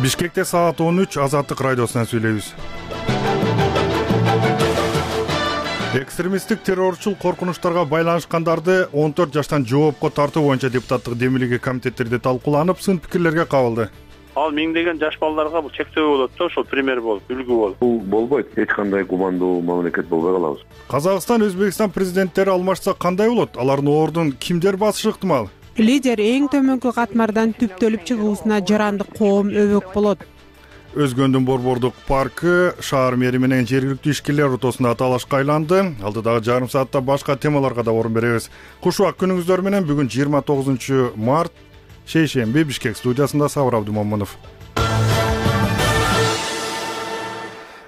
Бишкекте саат 13 Азаттык радиосунан сүйлөйбүз. Экстремисттик террорчул коркунучтарга байланышкандарды 14 жаштан жоопко тартуу боюнча депутаттык демилиги комитеттерде талкууланып, сын пикирлерге кабылды. Ал миңдеген жаш балдарга бул чектөө болот да, ошол пример болуп, үлгү болуп. Бул болбойт. Эч кандай гумандуу мамлекет болбой калабыз. Казакстан, Өзбекстан президенттери алмашса кандай болот? Алардын ордун кимдер басышы ыктымал? Лидер эң төмөнкү катмардан түптөлүп чыгуусуна жарандык коом өбөк болот. Өзгөндүн борбордук паркы шаар мэри менен жергиликтүү ишкерлер ортосунда талашка айланды. Алдыдагы жарым саатта башка темаларга да орун беребиз. Куш убак күнүңүздөр менен. Бүгүн 29 март, шейшемби, Бишкек студиясында Сабыр Абдумомунов.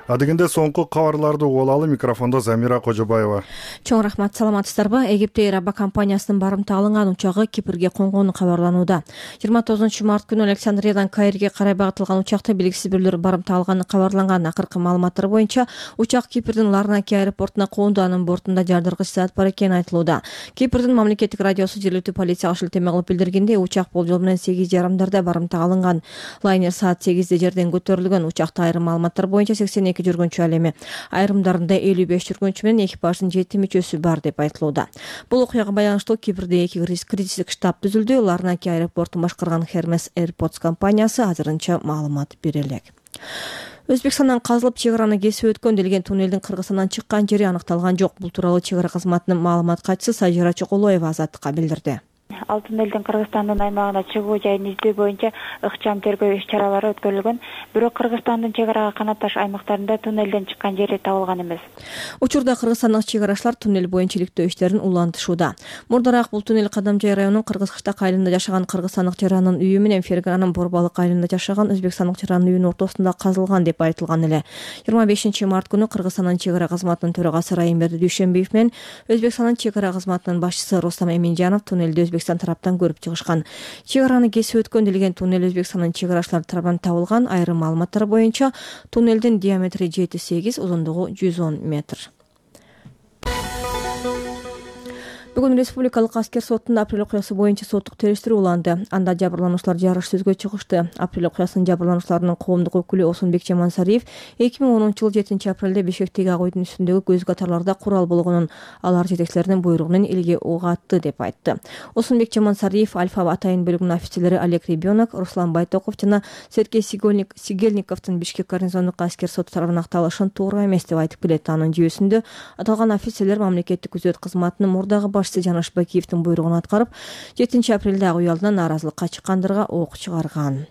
Адегенде соңку кабарларды угуп алалы. Микрофондо Замира Кожобаева. Чоң рахмат, саламатсыздарбы? Египте Эйр Аба компаниясынын барымта алынган учагы Кипрге конгону кабарланууда. 29 март күнү Александриядан Каирге карай багытылган учакта белгисиз бирлер барымта алганы кабарланган. Акыркы маалыматтар боюнча учак Кипрдин Ларнаки аэропортуна коонду, анын бортунда жардыргыч зат бар экени айтылууда. Кипрдин мамлекеттик радиосу жергиликтүү полицияга шилтеме кылып билдиргенде, учак болжол менен 8:30 барымта алынган. Лайнер саат 8 жерден көтөрүлгөн. Учакта айрым маалыматтар боюнча 82 жүргүнчү ал эми. Айрымдарында 55 жүргүнчү менен экипаждын 7 мүчөсү бар деп айтылууда. Бул окуяга байланыштуу Кипрде 2 кризистик штаб түзүлдү. Ларнаки аэропортун башкарган Hermes Airports компаниясы азырынча маалымат бере элек. Өзбекстандан казылып чек араны кесип өткөн делген туннелдин Кыргызстандан чыккан жери аныкталган жок. Бул тууралуу чек ара кызматынын маалымат катчысы Сажира Чоколоева Азаттыкка билдирди. Ал туннелдин Кыргызстандын аймагына чыгуу жайын издөө боюнча ыкчам тергөө иш-чаралары өткөрүлгөн. Бирок Кыргызстандын чек арага канатташ аймактарында туннелден чыккан жери табылган эмес. Учурда кыргызстандык чек арачылар туннел боюнча иликтөө иштерин улантышууда. Мурдараак бул туннел Кадамжай районунун Кыргызкыштак айылында жашаган кыргызстандык жаранын үйү менен Фергананын Борбалык айылында жашаган өзбекстандык жаранын үйүнүн ортосунда казылган деп айтылган эле. 25 март күнү Кыргызстандын чек ара кызматынын төрагасы Райымберди Дүйшөнбиев менен Өзбекстандын чек ара кызматынын башчысы Рустам Эминжанов туннелди Өзбекстан тараптан көрүп чыгышкан. Чек араны кесип өткөн делген туннел Өзбекстандын чек арачылары тарабынан табылган. Айрым маалыматтар боюнча туннелдин диаметри 7-8, узундугу 110 метр. Бүгүн Республикалык аскер сотунда апрель окуясы боюнча соттук териштирүү уланды. Анда жабырлануучулар жарыш сөзгө чыгышты. Апрель окуясынын жабырлануучуларынын коомдук өкүлү Осунбек Жамансариев 2010 жыл 7 апрелде Бишкектеги ак үйдүн үстүндөгү көз катарларда курал болгонун алар жетекчилеринин буйругу менен элге ок атты деп айтты. Осунбек Жамансариев Альфа атайын бөлүгүнүн офицерлери Олег Ребенок, Руслан Байтоков жана Сергей Сигельниковдун Бишкек гарнизондук аскер соту тарабынан акталышын туура эмес деп айтып келет. Анын жүйөсүндө аталган офицерлер мамлекеттик күзөт кызматынын мурдагы Жанаш Бакиевдин буйругун аткарып, 7 апрелде ак үй алдынан нааразылыкка чыккандырга ок чыгарган.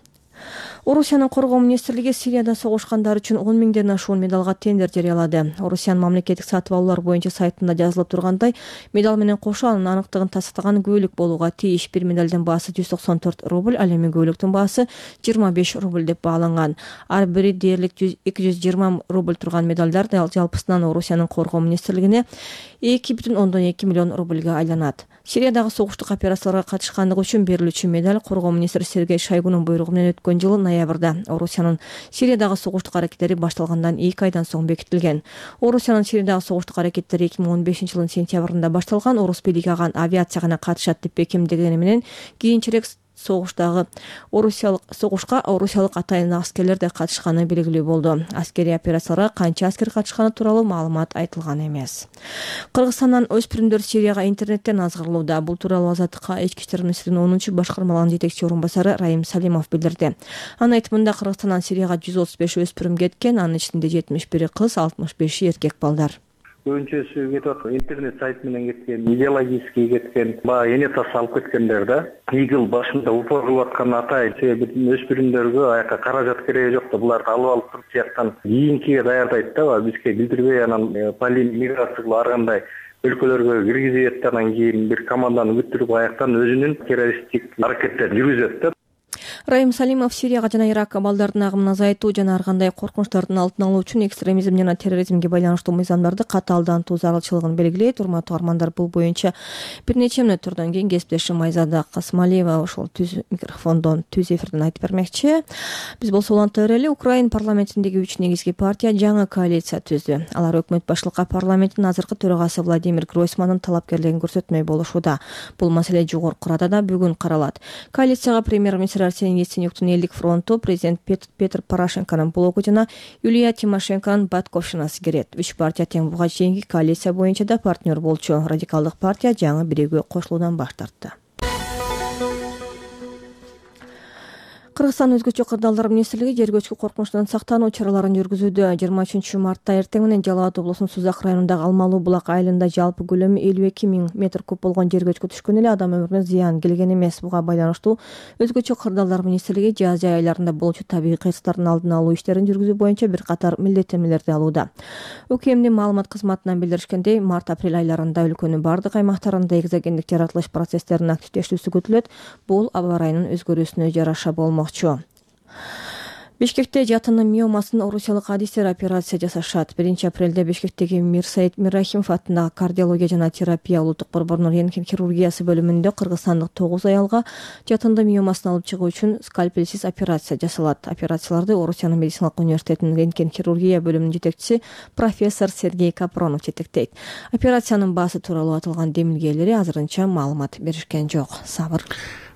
Орусиянын коргоо министрлиги Сирияда согушкандар үчүн 10 миңден ашуун медалга тендер жарыялады. Орусиянын мамлекеттик сатып алуулар боюнча сайтында жазылып тургандай, медал менен кошо анын аныктыгын тастыган күбөлүк болууга тийиш. Бир медалдын баасы 194 рубль, ал эми күбөлүктүн баасы 25 рубль деп бааланган. Ар бири дээрлик 220 рубль турган медалдар жалпысынан Орусиянын коргоо министрлигине 2,2 миллион рубльга айланат. Сириядагы согуштук операцияларга катышкандыгы үчүн берилүүчү медаль коргоо министри Сергей Шойгунун буйругу менен өткөн жылы ноябрда Орусиянын Сириядагы согуштук аракеттери башталгандан 2 айдан соң бекитилген. Орусиянын Сириядагы согуштук аракеттери 2015 жылдын сентябрында башталган. Орус бийлиги ага авиация гана катышат деп бекемдегени менен кийинчерээк согушка орусиялык атайын аскерлер да катышканы белгилүү болду. Аскерий операцияларга канча аскер катышканы тууралуу маалымат айтылган эмес. Кыргызстандан өспүрүмдөр Сирияга интернеттен азгырылууда. Бул тууралуу Азаттыкка ички иштер министринин 10 башкармалыгынын жетекчи орун басары Райым Салимов билдирди. Анын айтымында Кыргызстандан Сирияга 135 өспүрүм кеткен, анын ичинде 71 кыз, 65 эркек балдар. Көбүнчөсү кетип аткан интернет сайт менен кеткен, идеологический кеткен, баягы эне тас алып кеткендер да. Игил башында упор кылып аткан атай, себеби өспүрүмдөргө аяка каражат кереги жок да, буларды алып туруп тияктан кийинкиге даярдайт да, бизге билдирбей анан миграция ар кандай өлкөлөргө киргизет, анан кийин бир команданы бүттүрүп аяктан өзүнүн террористтик аракеттерин жүргүзөт да. Райым Салимов Сирияга жана Иракка балдардын агымын азайтуу жана ар кандай коркунучтардын алдын алуу үчүн экстремизм жана терроризмге байланыштуу мыйзамдарды катаалдантуу зарылчылыгын белгилейт. Урматтуу угармандар, бул боюнча бир нече мүнөттөрдөн кийин кесиптешим Айзада Касмалиева ошол микрофондон түз эфирден айтып бермекчи. Биз болсо уланта берели. Украин парламентиндеги 3 негизги партия жаңы коалиция түздү. Алар өкмөт башчылыкка парламенттин азыркы төрагасы Владимир Гройсмандын талапкерлигин көрсөтмөй болушууда. Бул маселе жогорку радада бүгүн каралат. Коалицияга премьер-министр Арсений Яценюктун элдик фронту президент Петр Порошенконун блогу жана Юлия Тимошенконун батьковщинасы кирет. 3 партия тең буга чейинки коалиция боюнча да партнер болчу. Радикалдык партия жаңы бирөөгө кошулуудан баш тартты. Кыргызстан өзгөчө кырдаалдар министрлиги жер көчкү коркунучунан сактануу чараларын жүргүзүүдө. 23 мартта эртең менен Жалал Абад облусунун Сузак районундагы Алмалуу булак айылында жалпы көлөмү 52 000 метр куб болгон жер көчкү түшкөн эле адам өмүрүнө зыян келген эмес. Буга байланыштуу өзгөчө кырдаалдар министрлиги жаз айларында болчу табигый кыйырчыктардын алдын алуу иштерин жүргүзүү боюнча бир катар милдеттенмелерди алууда. УКМдин маалымат кызматынан билдиришкендей, март-апрель айларында өлкөнүн бардык аймактарында экзогендик жаратылыш процесстеринин активдешүүсү күтүлөт. Бул аба ырайынын өзгөрүүсүнө жараша болмок. Бишкекте жатынын миомасын орусиялык адистер операция жасашат. 1-апрелде Бишкектеги Мирсаид Миррахимов атындагы кардиология жана терапия улуттук борборунун рентген хирургиясы бөлүмүндө кыргызстандык 9 аялга жатынды миомасын алып чыгуу үчүн скальпелсиз операция жасалат. Операцияларды Орусиянын медициналык университетинин рентген хирургия бөлүмүнүн жетекчиси профессор Сергей Капронов жетектейт. Операциянын баасы тууралуу атылган демилгелери азырынча маалымат беришкен жок. Сабыр.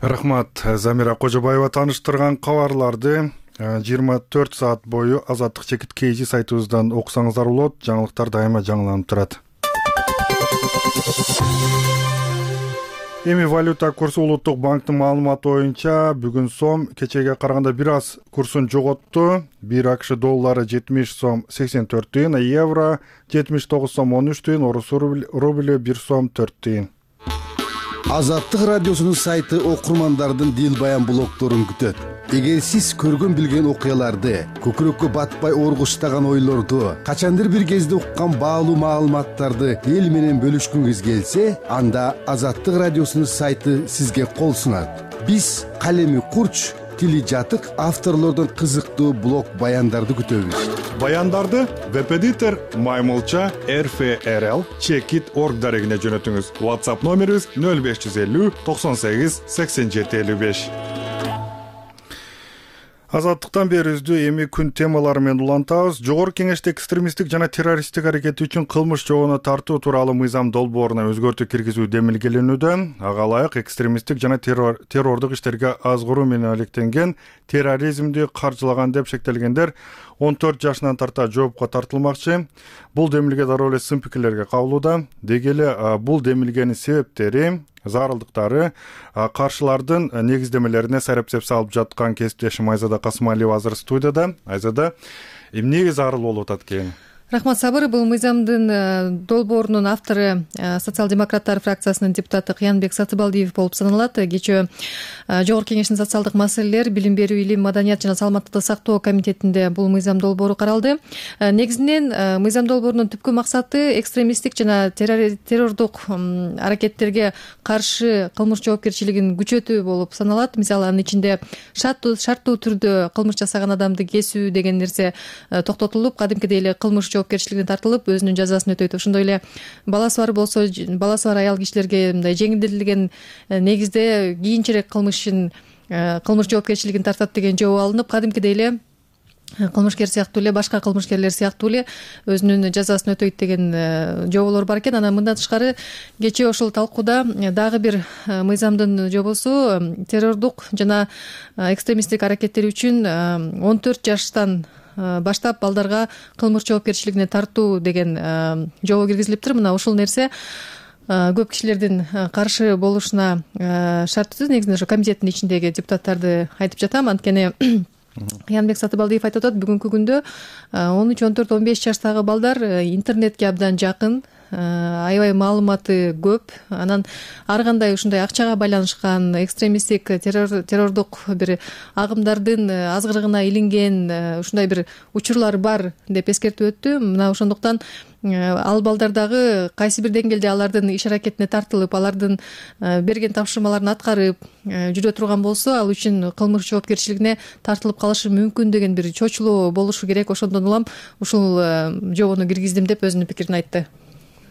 Рахмат. Замира Кожобаева тааныштырган кабарларды 24 саат бою Азаттык чекит KG сайтыбыздан окусаңыздар болот. Жаңылыктар дайыма жаңыланып турат. Эми валюта курсу Улуттук банктын маалыматы боюнча бүгүн сом кечеге караганда бир аз курсун жоготту. 1 АКШ доллары 70 сом 84 тыйын, евро 79 сом 13 тыйын, орус рублю 1 сом 4 тыйын. Азаттык радиосунун сайты окурмандардын дил баян блогдорун күтөт. Эгер сиз көргөн билген окуяларды, көкүрөккө батпай оргуштаган ойлорду, качандыр бир кезде уккан баалуу маалыматтарды эл менен бөлүшкүңүз келсе, анда Азаттык радиосунун сайты сизге кол сунат. Биз калеми курч, тили жатык авторлордон кызыктуу блог баяндарды күтөбүз. Баяндарды веб-эдитор Маймылча RFRL Checkit.org дарегине жөнөтүңүз. WhatsApp номерибиз 0550 98 87 55. Азаттыктан берүүбүздү эми күн темалары менен улантабыз. Жогорку Кеңеште экстремисттик жана террористтик аракет үчүн кылмыш жообуна тартуу тууралуу мыйзам долбооруна өзгөртүү киргизүү демилгеленүүдө. Ага ылайык экстремисттик жана террордук иштерге азгыруу менен алектенген, терроризмди каржылаган деп шектелгендер 14 жашынан тарта жоопко тартылмакчы. Бул демилге дароо эле сын пикирлерге кабылууда. Деги эле бул демилгенин себептери, зарылдыктары, каршылардын негиздемелерине сарапсеп салып жаткан кесиптешим Айзада Касымалиева азыр студияда. Айзада, эмнеге зарыл болуп атат экен? Рахмат, Сабыр. Бул мыйзамдын долбоорунун автору социал-демократтар фракциясынын депутаты Кыянбек Сатыбалдиев болуп саналат. Кечээ Жогорку Кеңештин социалдык маселелер, билим берүү, илим, маданият жана саламаттыкты сактоо комитетинде бул мыйзам долбоору каралды. Негизинен мыйзам долбоорунун түпкү максаты экстремисттик жана террордук аракеттерге каршы кылмыш жоопкерчилигин күчөтүү болуп саналат. Мисалы, анын ичинде шарттуу түрдө кылмыш жасаган адамды кесүү деген нерсе токтотулуп, кадимкидей эле кылмыш жоопкерчилигине тартылып, өзүнүн жазасын өтөйт. Ошондой эле баласы бар болсо, баласы бар аял кишилерге мындай жеңилдетилген негизде кийинчерээк кылмыш жоопкерчилигин тартат деген жобо алынып, кадимкидей эле кылмышкер сыяктуу эле, башка кылмышкерлер сыяктуу эле өзүнүн жазасын өтөйт деген жоболор бар экен. Анан мындан тышкары кечээ ошол талкууда дагы бир мыйзамдын жобосу террордук жана экстремисттик аракеттер үчүн 14 жаштан баштап балдарга кылмыш жоопкерчилигине тартуу деген жобо киргизилиптир. Мына ушул нерсе көп кишилердин каршы болушуна шарттуу. Негизинен ошо комитеттин ичиндеги депутаттарды айтып жатам. Анткени Кыянбек Сатыбалдиев айтып атат, бүгүнкү күндө 13, 14, 15 жаштагы балдар интернетке абдан жакын, аябай маалыматы көп. Анан ар кандай ушундай акчага байланышкан экстремисттик террордук бир агымдардын азгырыгына илинген ушундай бир учурлар бар деп эскертип өттү. Мына ошондуктан ал балдар дагы кайсы бир деңгээлде алардын иш аракетине тартылып, алардын берген тапшырмаларын аткарып жүрө турган болсо, ал үчүн кылмыш жоопкерчилигине тартылып калышы мүмкүн деген бир чочулоо болушу керек. Ошондон улам ушул жобону киргиздим деп өзүнүн пикирин айтты.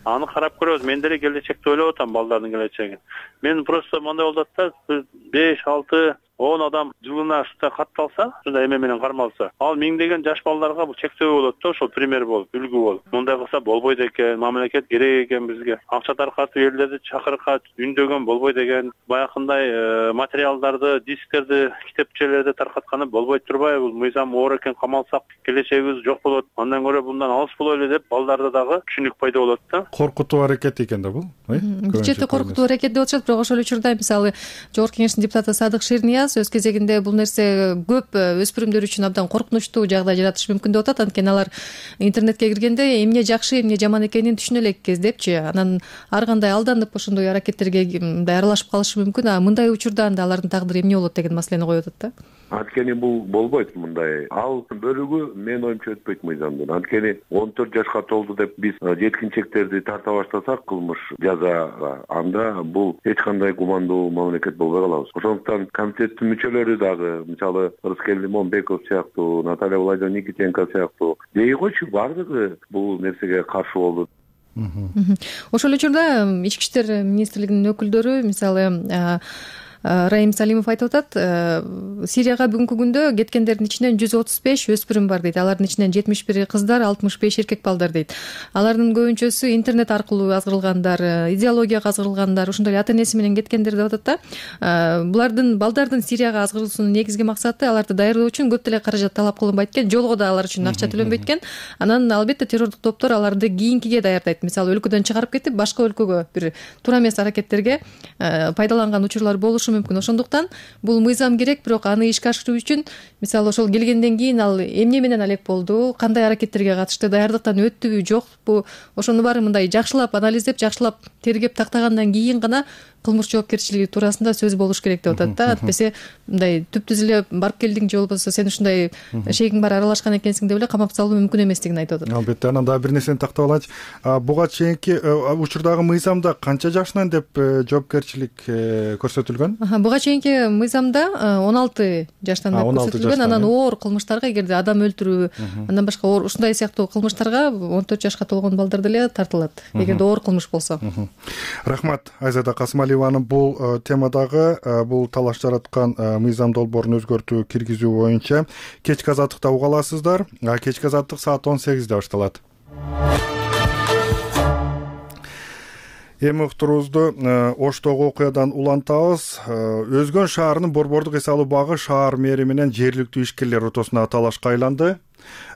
Аны карап көрөбүз. Мен деле келечекти ойлоп атам, балдардын келечегин. Мен просто мындай болуп атат да, 5, 6, 10 адам жылына катталса, ушундай эме менен кармалса, ал миңдеген жаш балдарга бул чектөө болот да, ошол пример болуп, үлгү болуп. Мындай кылса болбойт экен, мамлекет керек экен бизге. Акча таркатып элдерди чакырып үндөгөн болбойт экен. Баягындай материалдарды, дисктерди, китепчелерди таркатканы болбой турбайбы? Бул мыйзам оор экен, камалсак келечегибиз жок болот. Андан көрө мындан алыс бололу деп балдарда дагы түшүнүк пайда болот да. Коркутуу аракет экен да бул. Бул жерде коркутуу аракет деп атышат, бирок ошол учурда мисалы Жогорку Кеңештин депутаты Садык Шернияз өз кезегинде бул нерсе көп өспүрүмдөр үчүн абдан коркунучтуу жагдай жаратышы мүмкүн деп атат. Анткени алар интернетке киргенде эмне жакшы, эмне жаман экенин түшүнө элек кездепчи, анан ар кандай алданып ошондой аракеттерге мындай аралашып калышы мүмкүн. А мындай учурда анда алардын тагдыры эмне болот деген маселени коюп атат да. Анткени бул болбойт мындай. Ал бөлүгү менин оюмча өтпөйт мыйзамдын. Анткени 14 жашка толду деп биз жеткинчектерди тарта баштасак кылмыш жазага, анда бул эч кандай гумандуу мамлекет болбой калабыз. Ошондуктан комитеттин мүчөлөрү дагы, мисалы Рыскел Лимонбеков сыяктуу, Наталья Владимировна Никитенко сыяктуу дей койчу, бардыгы бул нерсеге каршы болду. Ошол учурда Ички иштер министрлигинин өкүлдөрү, мисалы Раим Салимов айтып атат, Сирияга бүгүнкү күндө кеткендердин ичинен 135 өспүрүм бар дейт. Алардын ичинен 71 кыздар, 65 эркек балдар дейт. Алардын көбүнчөсү интернет аркылуу азгырылгандар, идеологияга азгырылгандар, ошондой эле ата энеси менен кеткендер деп атат да. Булардын балдардын Сирияга азгырылуусунун негизги максаты аларды даярдоо үчүн көп деле каражат талап кылынбайт экен, жолго да алар үчүн акча төлөнбөйт экен. Анан албетте террордук топтор аларды кийинкиге даярдайт. Мисалы өлкөдөн чыгарып кетип, башка өлкөгө бир туура эмес аракеттерге пайдаланган учурлар болушу мүмкүн. Ошондуктан бул мыйзам керек, бирок аны ишке ашыруу үчүн мисалы ошол келгенден кийин ал эмне менен алек болду, кандай аракеттерге катышты, даярдыктан өттүбү, жокпу, ошону баары мындай жакшылап анализдеп, жакшылап тергеп тактагандан кийин гана кылмыш жоопкерчилиги туурасында сөз болуш керек деп атат да. Атпесе мындай түптүз эле барып келдиң же болбосо сен ушундай шейгиң бар аралашкан экенсиң деп эле камап салуу мүмкүн эместигин айтып атат. Албетте, анан дагы бир нерсени тактап алайынчы. Буга чейинки учурдагы мыйзамда канча жашынан деп жоопкерчилик көрсөтүлгөн? Буга чейинки мыйзамда 16 жаштан деп көрсөтүлгөн. Анан оор кылмыштарга, эгерде адам өлтүрүү, андан башка оор ушундай сыяктуу кылмыштарга 14 жашка толгон балдар деле тартылат, эгерде оор кылмыш болсо. Рахмат Айзада Касымалиеванын бул темадагы бул талаш жараткан мыйзам долбоорун өзгөртүү киргизүү боюнча кечки азаттыкта уга аласыздар. Кечки азаттык саат 18-де башталат. Эми уктуруубузду Оштогу окуядан улантабыз. Өзгөн шаарынын борбордук эс алуу багы шаар мэри менен жергиликтүү ишкерлер ортосунда талашка айланды.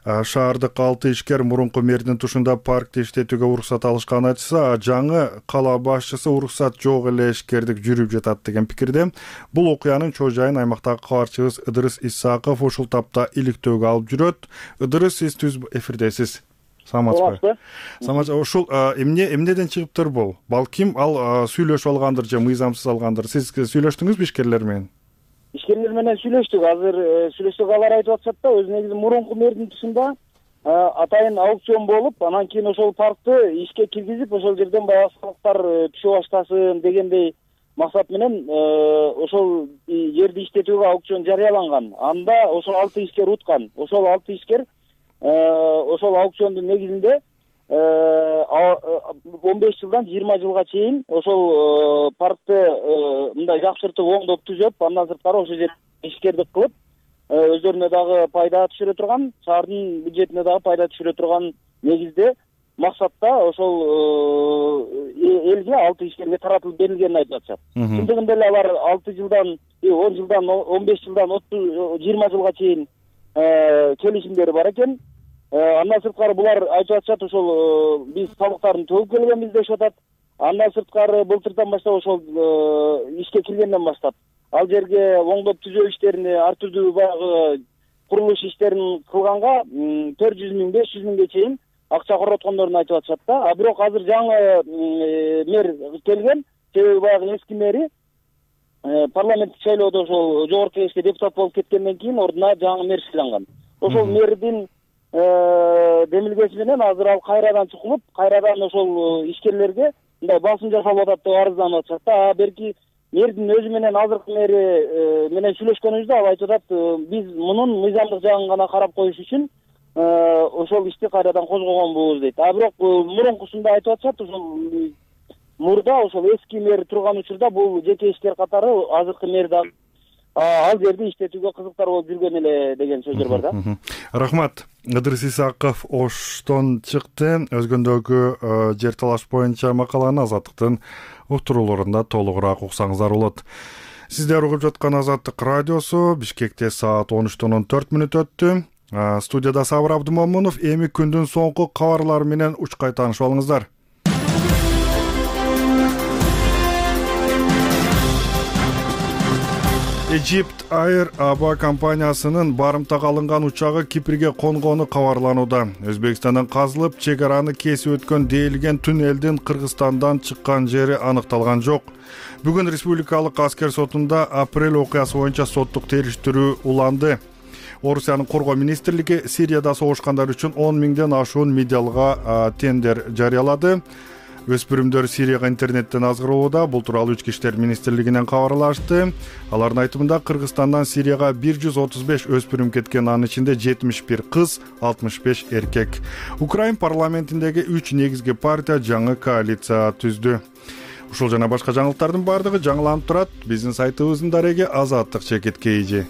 Шаардык 6 ишкер мурунку мэрдин тушунда паркти иштетүүгө уруксат алышканын айтса, жаңы кала башчысы уруксат жок эле ишкердик жүрүп жатат деген пикирде. Бул окуянын чоо жайын аймактагы кабарчыбыз Ыдырыс Исаков ушул тапта иликтөөгө алып жүрөт. Ыдырыс, сиз түз эфирдесиз. Саламатсызбы? Саламатчы. Ушул эмнеден чыгыптыр бул? Балким ал сүйлөшүп алгандыр же мыйзамсыз алгандыр. Сиз сүйлөштүңүзбү ишкерлер менен? Ишкерлер менен сүйлөштүк. Азыр сүйлөшсөк алар айтып атышат да, өз негизи мурунку мэрдин тушунда атайын аукцион болуп, анан кийин ошол паркты ишке киргизип, ошол жерден баягы салыктар түшө баштасын дегендей максат менен ошол жерди иштетүүгө аукцион жарыяланган. Анда ошол 6 ишкер уткан. Ошол 6 ишкер ошол аукциондун негизинде 15 жылдан 20 жылга чейин ошол паркты мындай жакшыртып оңдоп түзөп, андан сырткары ошол жерде ишкердик кылып, өздөрүнө дагы пайда түшүрө турган, шаардын бюджетине дагы пайда түшүрө турган негизде максатта ошол элге 6 ишкерге таратылып берилгенин айтып атышат. Чындыгында эле алар 6 жылдан 10 жылдан 15 жылдан 20 жылга чейин келишимдери бар экен. Андан сырткары булар айтып атышат, ошол биз салыктарын төлөп келгенбиз дешип атат. Андан сырткары былтырдан баштап ошол ишке киргенден баштап ал жерге оңдоп түзөө иштерин, ар түрдүү баягы курулуш иштерин кылганга 400 миң, 500 миңге чейин акча короткондорун айтып атышат да. А бирок азыр жаңы мэр келген, себеби баягы эски мэри парламенттик шайлоодо ошол жогорку кеңешке депутат болуп кеткенден кийин ордуна жаңы мэр шайланган. Ошол мэрдин демилгеси менен азыр ал кайрадан чукулуп, кайрадан ошол ишкерлерге мындай басым жасалып атат деп арызданып атышат да. Берки мэрдин өзү менен азыркы мэри менен сүйлөшкөнүбүздө ал айтып атат, биз мунун мыйзамдык жагын гана карап коюш үчүн ошол ишти кайрадан козгогонбуз дейт. А бирок мурункусунда айтып атышат, ошол мурда ошол эски мэр турган учурда бул жеке ишкер катары азыркы мэр дагы ал жерди иштетүүгө кызыктар болуп жүргөн эле деген сөздөр бар да. Рахмат. Ыдырыс Исаков Оштон чыкты. Өзгөндөгү жер талаш боюнча макаланы Азаттыктын уктурууларында толугураак уксаңыздар болот. Сиздер угуп жаткан Азаттык радиосу. Бишкекте саат 13:14 өттү. Студияда Сабыр Абдымомунов. Эми күндүн соңку кабарлары менен учкай таанышып алыңыздар. Egypt Air аба компаниясынын барымтага алынган учагы Кипрге конгону кабарланууда. Өзбекстандан казылып, чек араны кесип өткөн дээлген туннелдин Кыргызстандан чыккан жери аныкталган жок. Бүгүн Республикалык аскер сотунда апрель окуясы боюнча соттук териштирүү уланды. Орусиянын коргоо министрлиги Сирияда согушкандар үчүн 10 миңден ашуун медиалга тендер жарыялады. Өспүрүмдөр Сирияга интернеттен азгыроодо. Бул тууралуу Ички иштер министрлигинен кабарлашты. Алардын айтымында Кыргызстандан Сирияга 135 өспүрүм кеткен, анын ичинде 71 кыз, 65 эркек. Украин парламентиндеги 3 негизги партия жаңы коалиция түздү. Ушул жана башка жаңылыктардын бардыгы жаңыланып турат. Биздин сайтыбыздын дареги azattik.kz.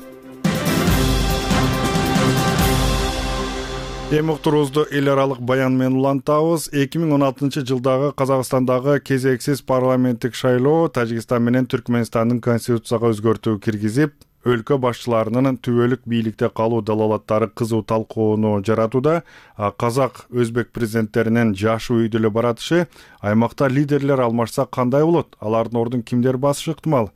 Эми уктуруубузду эл аралык баян менен улантабыз. 2016 жылдагы Казакстандагы кезексиз парламенттик шайлоо Тажикстан менен Түркмөнстандын конституцияга өзгөртүү киргизип, өлкө башчыларынын түбөлүк бийликте калуу далалаттары кызуу талкууну жаратууда. Казак, өзбек президенттеринин жашы үйдө эле баратышы, аймакта лидерлер алмашса кандай болот? Алардын ордун кимдер басышы ыктымал?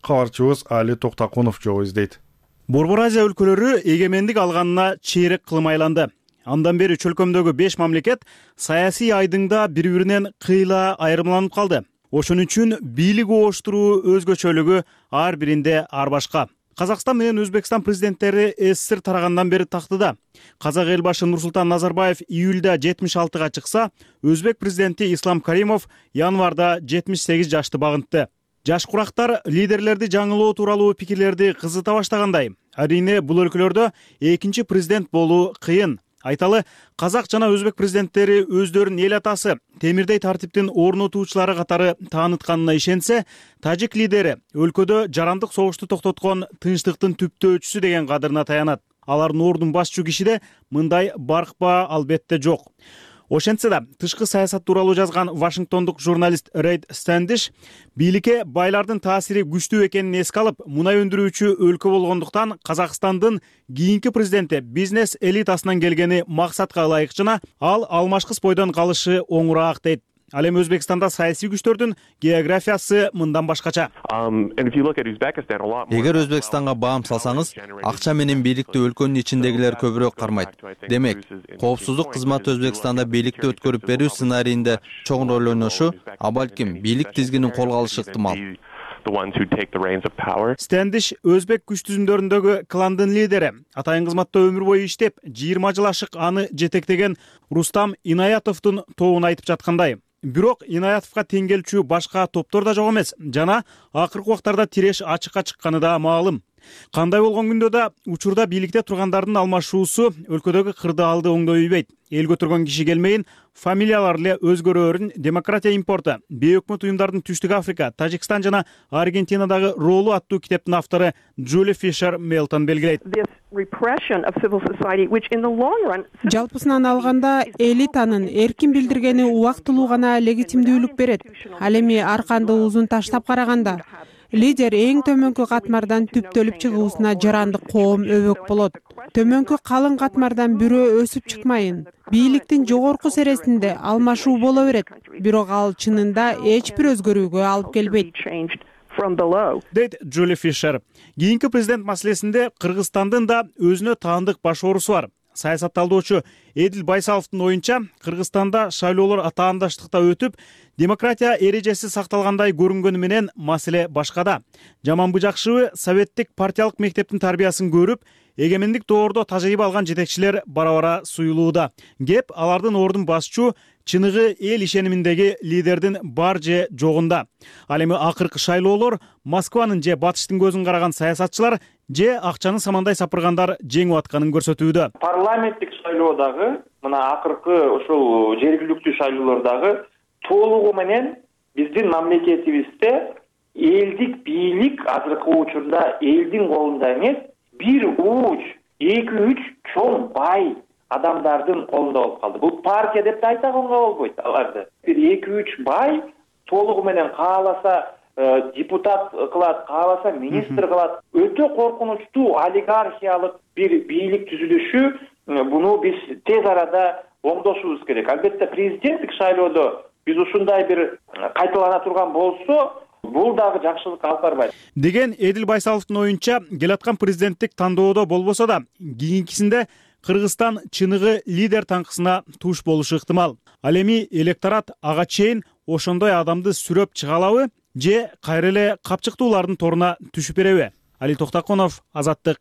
Кабарчыбыз Али Токтакунов жол издейт. Борбор Азия өлкөлөрү эгемендик алганына чейрек кылым айланды. Андан бери чөлкөмдөгү 5 мамлекет саясий айдыңда бири-биринен кыйла айырмаланып калды. Ошон үчүн бийлик ооштуруу өзгөчөлүгү ар биринде ар башка. Казакстан менен Өзбекстан президенттери СССР тарагандан бери тактыда. Казак эл башы Нурсултан Назарбаев июлда 76-га чыкса, өзбек президенти Ислам Каримов январда 78 жашты багынтты. Жаш курактар лидерлерди жаңылоо тууралуу пикирлерди кызыта баштагандай. Арине бул өлкөлөрдө экинчи президент болуу кыйын. Айталы, казак жана өзбек президенттери өздөрүнүн эл атасы, темирдей тартиптин орнотуучулары катары таанытканына ишенсе, тажик лидери өлкөдө жарандык согушту токтоткон тынчтыктын түптөөчүсү деген кадырына таянат. Алардын ордун басчу кишиде мындай баркпа албетте жок. Ошентсе да, тышкы саясат тууралуу жазган Вашингтондук журналист Рейд Стэндиш бийликке байлардын таасири күчтүү экенин эске алып, мунай өндүрүүчү өлкө болгондуктан Казакстандын кийинки президенти бизнес элитасынан келгени максатка ылайык жана ал алмашкыс бойдон калышы оңураак дейт. Ал эми Өзбекстанда саясий күчтөрдүн географиясы мындан башкача. Эгер Өзбекстанга баам салсаңыз, акча менен бийликти өлкөнүн ичиндегилер көбүрөөк кармайт. Демек, коопсуздук кызматы Өзбекстанда бийликти өткөрүп берүү сценарийинде чоң роль ойношу, а балким бийлик тизгинин колго алышы ыктымал. Стэндиш өзбек күч түзүмдөрүндөгү кландын лидери, атайын кызматта өмүр бою иштеп, 20 жыл ашык аны жетектеген Рустам Инаятовдун тобун айтып жаткандай. Бирок Инаятовго тең келчү башка топтор да жок эмес жана акыркы убактарда тиреш ачыкка чыкканы да маалым. Кандай болгон күндө да учурда бийликте тургандардын алмашуусу өлкөдөгү кырдаалды оңдой үйбөйт. Эл көтөргөн киши келмейин, фамилиялар эле өзгөрөөрүн демократия импорту, бейөкмөт уюмдардын Түштүк Африка, Тажикстан жана Аргентинадагы ролу аттуу китептин автору Джули Фишер Мелтон белгилейт. Жалпысынан алганда элитанын эркин билдиргени убактылуу гана легитимдүүлүк берет. Ал эми ар кандай узун таштап караганда лидер эң төмөнкү катмардан түптөлүп чыгуусуна жарандык коом өбөк болот. Төмөнкү калың катмардан бирөө өсүп чыкмайын. Бийликтин жогорку сересинде алмашуу боло берет, бирок ал чынында эч бир өзгөрүүгө алып келбейт. Дейт Джули Фишер. Кийинки президент маселесинде Кыргызстандын да өзүнө таандык баш оорусу бар. Саясатталдоочу Эдил Байсаловдун оюнча, Кыргызстанда шайлоолор атаандаштыкта өтүп, демократия эрежеси сакталгандай көрүнгөнү менен маселе башкада. Жаманбы жакшыбы советтик партиялык мектептин тарбиясын көрүп, эгемендик доордо тажрыйба алган жетекчилер бара-бара суюлууда. Кеп алардын ордун басчу чыныгы эл ишениминдеги лидердин бар же жогунда. Ал эми акыркы шайлоолор Москванын же батыштын көзүн караган саясатчылар же акчаны самандай сапыргандар жеңип атканын көрсөтүүдө. Парламенттик шайлоодагы, мына акыркы ушул жергиликтүү шайлоолордогу толугу менен биздин мамлекетибизде элдик бийлик азыркы учурда элдин колунда эмес, бир уч, 2-3 чоң бай адамдардын колунда болуп калды. Бул партия деп да айтганга болбойт аларды. Бир 2-3 бай толугу менен кааласа депутат кылат, кааласа министр кылат. Өтө коркунучтуу олигархиялык бир бийлик түзүлүшү, буну биз тез арада оңдошубуз керек. Албетте президенттик шайлоодо биз ушундай бир кайталана турган болсо, бул дагы жакшылыкка алып барбайт деген Эдил Байсаловдун оюнча, келаткан президенттик тандоодо болбосо да кийинкисинде Кыргызстан чыныгы лидер таңкысына туш болушу ыктымал. Ал эми электорат ага чейин ошондой адамды сүрөп чыга алабы же кайра эле капчыктуулардын торуна түшүп береби? Али Токтакунов, Азаттык.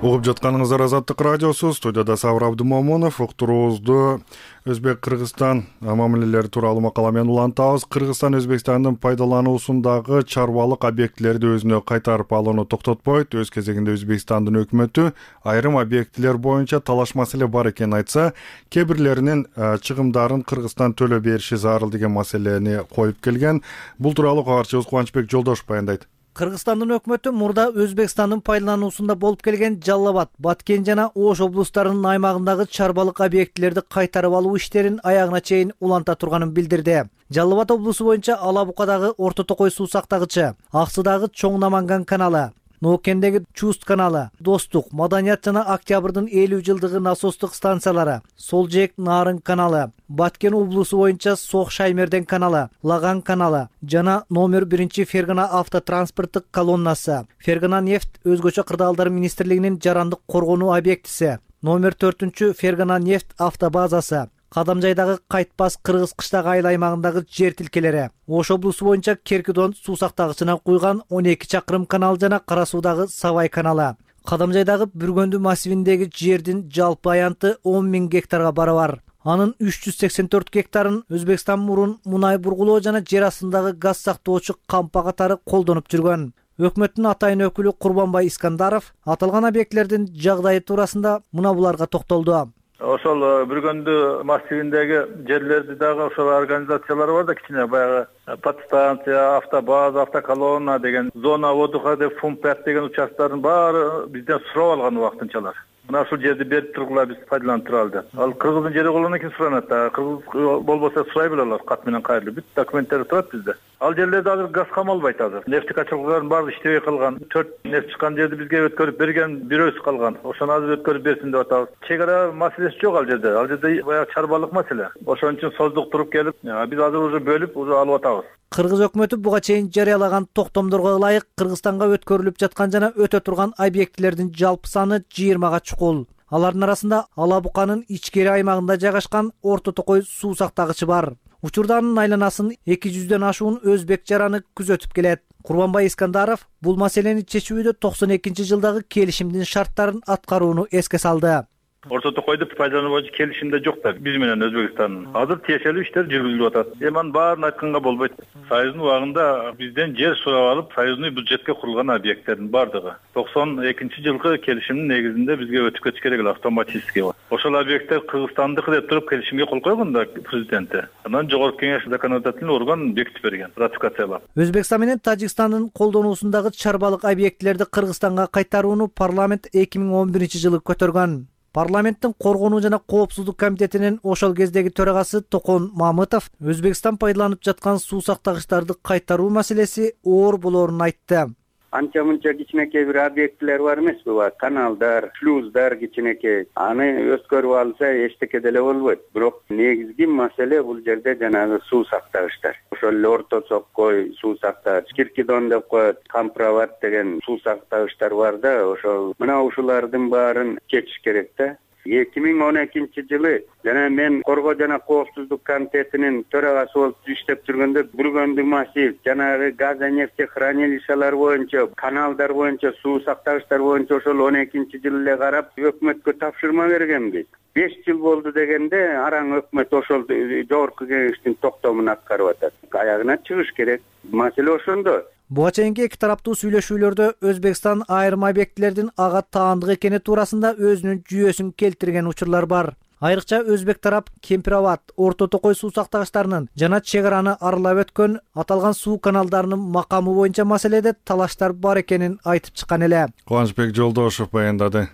Угуп жатканыңыздар Азаттык радиосу, студияда Сабыр Абдымомунов. Уктуруубузду Өзбек-Кыргызстан мамилелери тууралуу макала менен улантабыз. Кыргызстан Өзбекстандын пайдалануусундагы чарбалык объектилерди өзүнө кайтарып алууну токтотпойт. Өз кезегинде Өзбекстандын өкмөтү айрым объектилер боюнча талаш маселе бар экенин айтса, кээ бирлеринин чыгымдарын Кыргызстан төлөп бериши зарыл деген маселени коюп келген. Бул тууралуу кабарчыбыз Кубанычбек Жолдошев баяндайт. Кыргызстандын өкмөтү мурда Өзбекстандын пайдалануусунда болуп келген Жалал Абад, Баткен жана Ош облустарынын аймагындагы чарбалык объектилерди кайтарып алуу иштерин аягына чейин уланта турганын билдирди. Жалал Абад облусу боюнча Ала Букадагы Орто Токой суу сактагычы, Аксыдагы Чоң Наманган каналы, Ноокендеги Чуст каналы, Достук, Маданият жана Октябрдын 50 жылдыгы насостук станциялары, Солжек Нарын каналы, Баткен облусу боюнча Сох Шаймерден каналы, Лаган каналы жана номер 1 Фергана автотранспорттук колоннасы, Фергана нефть өзгөчө кырдаалдар министрлигинин жарандык коргонуу объектиси, номер 4 Фергана нефть автобазасы, Кадамжайдагы Кайтпас Кыргыз кыштак айыл аймагындагы жер тилкелери, Ош облусу боюнча Керкидон суу сактагычына куйган 12 чакырым канал жана Кара Суудагы Савай каналы, Кадамжайдагы Бүргөндү массивиндеги жердин жалпы аянты 10 000 гектарга барабар. Анын 384 гектарын Өзбекстан мурун мунай бургулоо жана жер астындагы газ сактоочу кампа катары колдонуп жүргөн. Өкмөттүн атайын өкүлү Курбанбай Искандаров аталган объектилердин жагдайы туурасында мына буларга токтолду. Ошол Бүргөндү массивиндеги жерлерди дагы ошол организациялар бар да, кичине баягы подстанция, автобаза, автоколонна деген, зона отдыха деп Фумпят деген участкалардын баары бизден сурап алган убактынчалар. Мына ушул жерди берип тургула, биз пайдаланып туралы деп. Ал Кыргыздын жери болгондон кийин суранат да. Кыргыз болбосо сурай беле кат менен кайрылып. Бүт документтери турат бизде. Ал жерлерде азыр газ камалбайт азыр. Нефть качалгылардын баары иштебей калган. 4 нефть чыккан жерди бизге өткөрүп берген бирөөсү калган. Ошону азыр өткөрүп берсин деп атабыз. Чегара маселеси жок ал жерде. Ал жерде баягы чарбалык маселе. Ошон үчүн создук туруп келип, биз азыр уже бөлүп, уже алып атабыз. Кыргыз өкмөтү буга чейин жарыялаган токтомдорго ылайык Кыргызстанга өткөрүлүп жаткан жана өтө турган объектилердин жалпы саны 20га чукул. Алардын арасында Ала Буканын ичкери аймагында жайгашкан Орто Токой суу сактагычы бар. Учурда анын айланасын 200дөн ашуун өзбек жараны күзөтүп келет. Курбанбай Искандаров бул маселени чечүүдө 92-жылдагы келишимдин шарттарын аткарууну эске салды. Орто Токойду пайдалануу боюнча келишимде жок да, биз менен Өзбекстандын. Азыр тиешелүү иштер жүргүзүлүп атат. Анын баарын айтканга болбойт. Союздун убагында бизден жер сурап алып, союздун бюджетке курулган объекттердин бардыгы 92-жылкы келишимдин негизинде бизге өтүп кетиш керек эле автоматически. Ошол объекттер Кыргызстандыкы деп туруп келишимге кол койгон да президенти. Анан жогорку кеңеш законодательный орган бекитип берген, ратификациялап. Өзбекстан менен Тажикстандын колдонуусундагы чарбалык объектилерди Кыргызстанга кайтарууну парламент 2011-жылы көтөргөн. Парламенттин коргонуу жана коопсуздук комитетинин ошол кездеги төрагасы Токон Мамытов Өзбекстан пайдаланып жаткан суу сактагычтарды кайтаруу маселеси оор болоорун айтты. Анча-мынча кичинекей бир объектилер бар эмеспи? Каналдар, шлюздар кичинекей. Аны өткөрүп алса эчтеке деле болбойт. Бирок негизги маселе бул жерде жанагы суу сактагычтар. Ошол эле Орто Токой суу сактагыч, Киркидон деп коет, Камправат деген суу сактагычтар бар да, ошол мына ушулардын баарын чечиш керек да. 2012-жылы жана мен Коргоо жана коопсуздук комитетинин төрагасы болуп иштеп жүргөндө Бүргөндү массив жанагы газ нефть хранилищалар боюнча, каналдар боюнча, суу сактагычтар боюнча ошол 12-жылы эле карап өкмөткө тапшырма бергенбиз. 5 жыл болду дегенде араң өкмөт ошол жогорку кеңештин токтомун аткарып атат. Аягына чыгыш керек. Маселе ошондо. Буга чейинки эки тараптуу сүйлөшүүлөрдө Өзбекстан айрым объектилердин ага таандык экени туурасында өзүнүн жүйөсүн келтирген учурлар бар. Айрыкча өзбек тарап Кемпир Абад, Орто Токой суу сактагычтарынын жана чек араны аралап өткөн аталган суу каналдарынын макамы боюнча маселеде талаштар бар экенин айтып чыккан эле. Кубанычбек Жолдошев баяндады.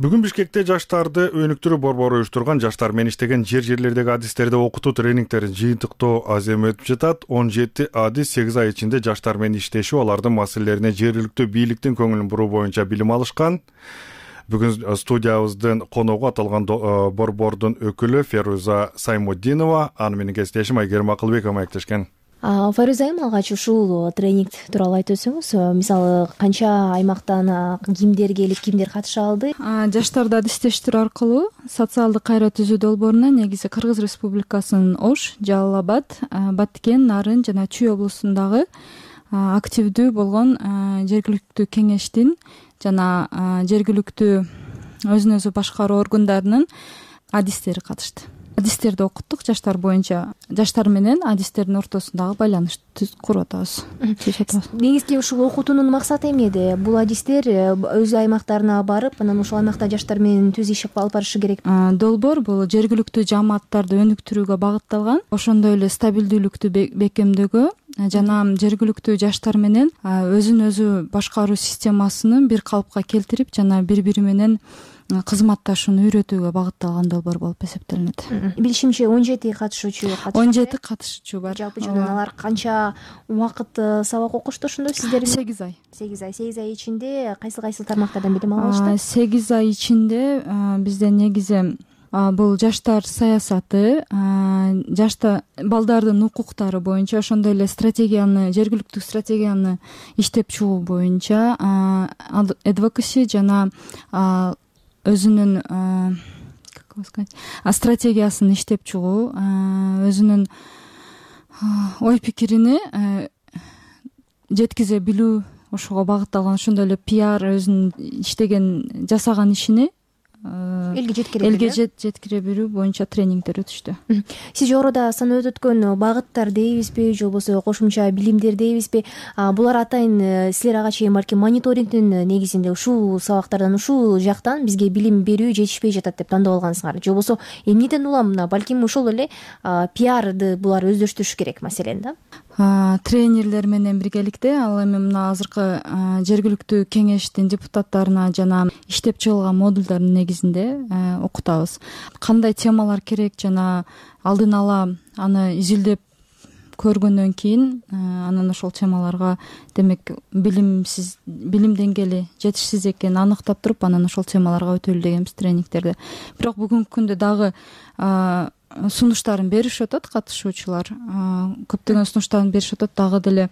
Бүгүн Бишкекте жаштарды өнүктүрүү борбору уюштурган жаштар менен иштеген жерлердеги адистерди окутуу тренингтерин жыйынтыктоо азем өтүп жатат. 17 адис 8 ай ичинде жаштар менен иштешип, алардын маселелерине жергиликтүү бийликтин көңүлүн буруу боюнча билим алышкан. Бүгүн студиябыздын коногу аталган борбордун өкүлү Феруза Саймуддинова, аны менен кесиптешим Айгерим Акылбекова маектешкен. Фариза айым, алгач ушул тренинг тууралуу айтып өтсөңүз, мисалы канча аймактан кимдер келип, кимдер катыша алды? Жаштарды адистештирүү аркылуу социалдык кайра түзүү долборуна негизи Кыргыз Республикасынын Ош, Жалал Абад, Баткен, Нарын жана Чүй облусундагы активдүү болгон жергиликтүү кеңештин жана жергиликтүү өзүн өзү башкаруу органдарынын адистери катышты. Адистерди окуттук жаштар боюнча. Жаштар менен адистердин ортосундагы байланышты куруп атабыз. Негизги ушул окутуунун максаты эмне эди? Бул адистер өз аймактарына барып, анан ушул аймакта жаштар менен түз иш алып барышы керек. Долбоор бул жергиликтүү жааматтарды өнүктүрүүгө багытталган, ошондой эле стабилдүүлүктү бекемдөөгө жана жергиликтүү жаштар менен өзүн өзү башкаруу системасынын бир калыпка келтирип жана бири-бири менен кызматташууну үйрөтүүгө багытталган долбоор болуп эсептелинет. Билишимче 17 катышуучу 17 катышуучу бар. Жалпы жана алар канча убакыт сабак окушту ошондо сиздер? 8 ай. 8 ай ичинде кайсы тармактардан билим алышты? 8 ай ичинде бизде негизи бул жаштар саясаты, балдардын укуктары боюнча, ошондой эле жергиликтүү стратегияны иштеп чыгуу боюнча advocacy жана өзүнүн стратегиясын иштеп чыгуу, өзүнүн ой пикирини жеткизе билүү, ошого багытталган, ошондой эле пиар өзүнүн жасаган ишини элге жеткире берүү боюнча тренингдер өтүштү. Сиз жогоруда санап өткөн багыттар дейбизби, же болбосо кошумча билимдер дейбизби? Булар атайын силер ага чейин балким мониторингдин негизинде ушул сабактардан, ушул жактан бизге билим берүү жетишпей жатат деп тандап алгансыңар. Же болбосо эмнеден улам балким ошол эле пиарды булар өздөштүрүш керек маселен да? Тренерлер менен биргеликте ал эми мына азыркы жергиликтүү кеңештин депутаттарына жана иштеп чыгылган модулдардын негизинде окутабыз. Кандай темалар керек жана алдын ала аны изилдеп көргөндөн кийин анан ошол темаларга демек билим деңгээли жетишсиз экенин аныктап туруп, анан ошол темаларга өтөлү дегенбиз тренингтерде. Бирок бүгүнкү күндө дагы сунуштарын беришип атат катышуучулар. Көптөгөн сунуштарын беришип атат, дагы деле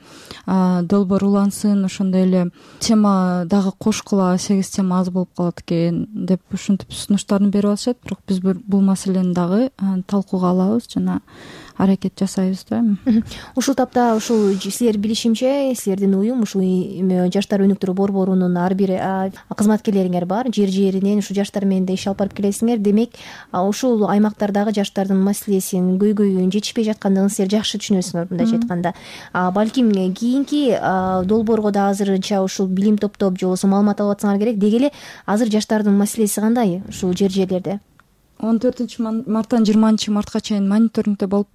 долбоор улансын, ошондой эле тема дагы кошкула, 8 тема аз болуп калат экен деп ушинтип сунуштарын берип атышат. Бирок биз бул маселени дагы талкууга алабыз жана аракет жасайбыз да. Ушул тапта ушул силер билишимче, силердин уюм ушул жаштар өнүктүрүү борборунун ар бир кызматкерлериңер бар. Жер-жеринен ушул жаштар менен да иш алып барып келесиңер. Демек, ушул аймактардагы жаштардын маселесин, көйгөйүн жетишпей жаткандыгын силер жакшы түшүнөсүңөр, мындайча айтканда. Балким кийинки долбоорго да азырынча ушул билим топтоп, же болбосо маалымат алып атсаңар керек. Деги эле азыр жаштардын маселеси кандай ушул жер-жерлерде? 14-марттан 20-мартка чейин мониторингде болуп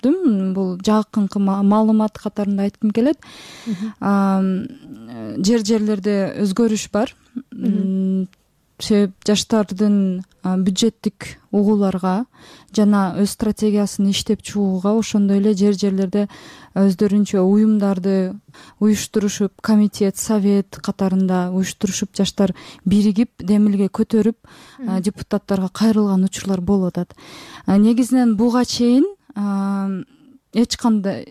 бул жакынкы маалымат катарында айткым келет. Жер-жерлерде өзгөрүш бар. Себеп жаштардын бюджеттик угууларга жана өз стратегиясын иштеп чыгууга, ошондой эле жер-жерлерде өздөрүнчө уюмдарды уюштурушуп, комитет, совет катарында уюштурушуп, жаштар биригип, демилге көтөрүп, депутаттарга кайрылган учурлар болуп атат. Негизинен буга чейин эч кандай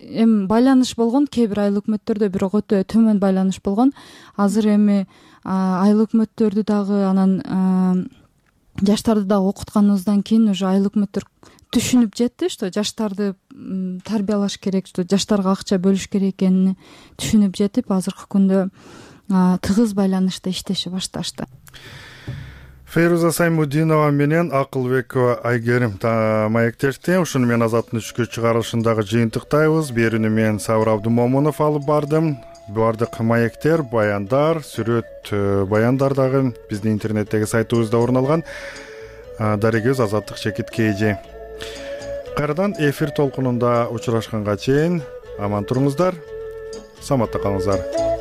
байланыш болгон, кээ бир айыл өкмөттөрдө, бирок өтө төмөн байланыш болгон. Азыр эми айыл өкмөттөрдү дагы, анан жаштарды дагы окутканыбыздан кийин уже айыл өкмөттөр түшүнүп жетти, что жаштарды тарбиялаш керек, что жаштарга акча бөлүш керек экенин түшүнүп жетип, азыркы күндө тыгыз байланышта иштеше башташты. Феруза Саймуддинова менен Акылбекова Айгерим маектешти. Ушуну менен Азаттын түшкү чыгарылышындагы жыйынтыктайбыз. Берүүнү мен Сабыр Абдымомунов алып бардым. баардык маектер, баяндар, сүрөт баяндар дагы биздин интернеттеги сайтыбызда орун алган. Дарегөз Азаттык Чекит КЖ. Кайрадан эфир толкунунда учурашканга чейин аман туруңуздар, саламатта калыңыздар.